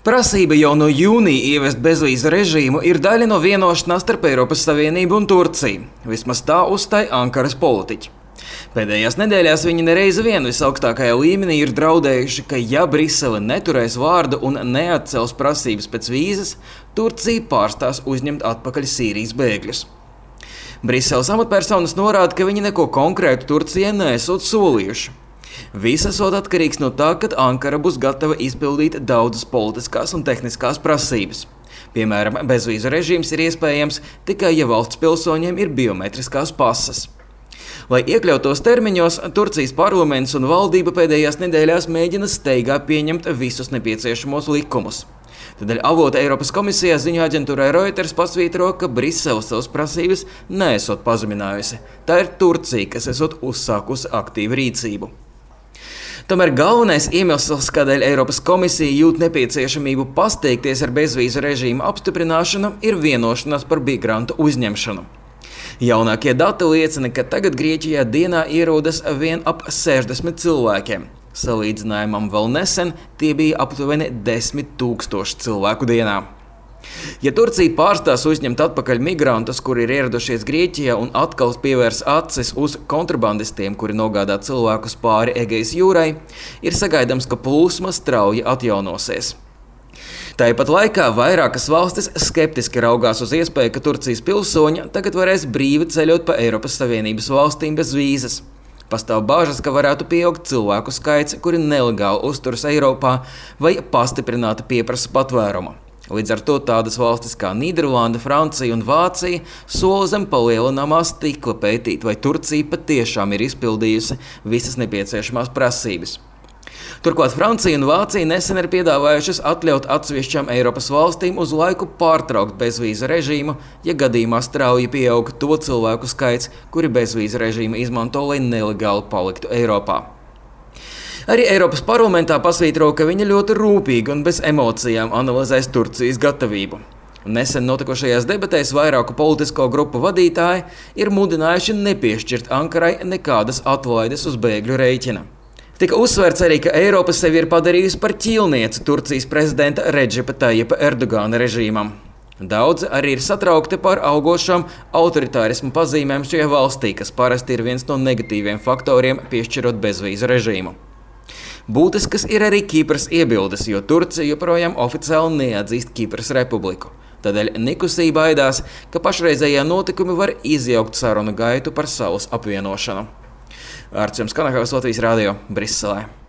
Prasība jau no jūnija ieviest bezvīzu režīmu ir daļa no vienošanās starp Eiropas Savienību un Turciju. Vismaz tā uzstāja Ankaras politiķi. Pēdējās nedēļās viņi nereizi vien visaugstākajā līmenī ir draudējuši, ka ja Brisele neturēs vārdu un neatcels prasības pēc vīzas, Turcija pārstās uzņemt atpakaļ Sīrijas bēgļus. Briseles amatpersonas norāda, ka viņi neko konkrētu Turcijai neesot solījuši. Viss esot atkarīgs no tā, kad Ankara būs gatava izpildīt daudzas politiskās un tehniskās prasības. Piemēram, bezvīzu režīms ir iespējams tikai, ja valsts pilsoņiem ir biometriskās pases. Lai iekļautos termiņos, Turcijas parlaments un valdība pēdējās nedēļās mēģina steigā pieņemt visus nepieciešamos likumus. Tādēļ avota Eiropas komisijā ziņu aģentūrai Reuters pasvītro, ka Brisele savas prasības neesot pazeminājusi. Tā ir Turcija, kas esot uzsākusi aktīvu rīcību. Tomēr galvenais iemesls, kādēļ Eiropas komisija jūt nepieciešamību pasteikties ar bezvīzu režīmu apstiprināšanu, ir vienošanās par migrantu uzņemšanu. Jaunākie dati liecina, ka tagad Grieķijā dienā ierodas vien ap 60 cilvēkiem. Salīdzinājumam vēl nesen tie bija aptuveni 10 000 cilvēku dienā. Ja Turcija pārstās uzņemt atpakaļ migrantus, kuri ir ieradušies Grieķijā un atkal pievērs acis uz kontrabandistiem, kuri nogādā cilvēkus pāri Egejas jūrai, ir sagaidāms, ka plūsma strauji atjaunosies. Tāpat laikā vairākas valstis skeptiski raugās uz iespēju, ka Turcijas pilsoņi tagad varēs brīvi ceļot pa Eiropas Savienības valstīm bez vīzas. Pastāv bāžas, ka varētu pieaugt cilvēku skaits, kuri nelegāli uzturas Eiropā vai pastiprināti pieprasa patvērumu. Līdz ar to tādas valstis kā Nīderlanda, Francija un Vācija sola zem palielināmā stikla pētīt, vai Turcija patiešām ir izpildījusi visas nepieciešamās prasības. Turklāt Francija un Vācija nesen ir piedāvājušas atļaut atsevišķām Eiropas valstīm uz laiku pārtraukt bezvīzu režīmu, ja gadījumā strauji pieaug to cilvēku skaits, kuri bezvīzu režīmu izmanto, lai nelegāli paliktu Eiropā. Arī Eiropas parlamentā pasvītro, ka viņa ļoti rūpīgi un bez emocijām analizēs Turcijas gatavību. Nesen notikušajās debatēs vairāku politisko grupu vadītāji ir mudinājuši nepiešķirt Ankarai nekādas atlaides uz bēgļu rēķina. Tika uzsvērts arī, ka Eiropa sevi ir padarījusi par ķīlnieci Turcijas prezidenta Redžepa Tajipa Erdogana režīmam. Daudzi arī ir satraukti par augošām autoritārismu pazīmēm šajā valstī, kas parasti ir viens no negatīviem faktoriem piešķirot bezvīzu režīmu. Būtiskas ir arī Kipras iebildes, jo Turcija joprojām oficiāli neatzīst Kipras republiku. Tādēļ Nikosija baidās, ka pašreizējie notikumi var izjaukt sarunu gaitu par salas apvienošanu. Arčuns Kanahavs, Latvijas radio, Briselē.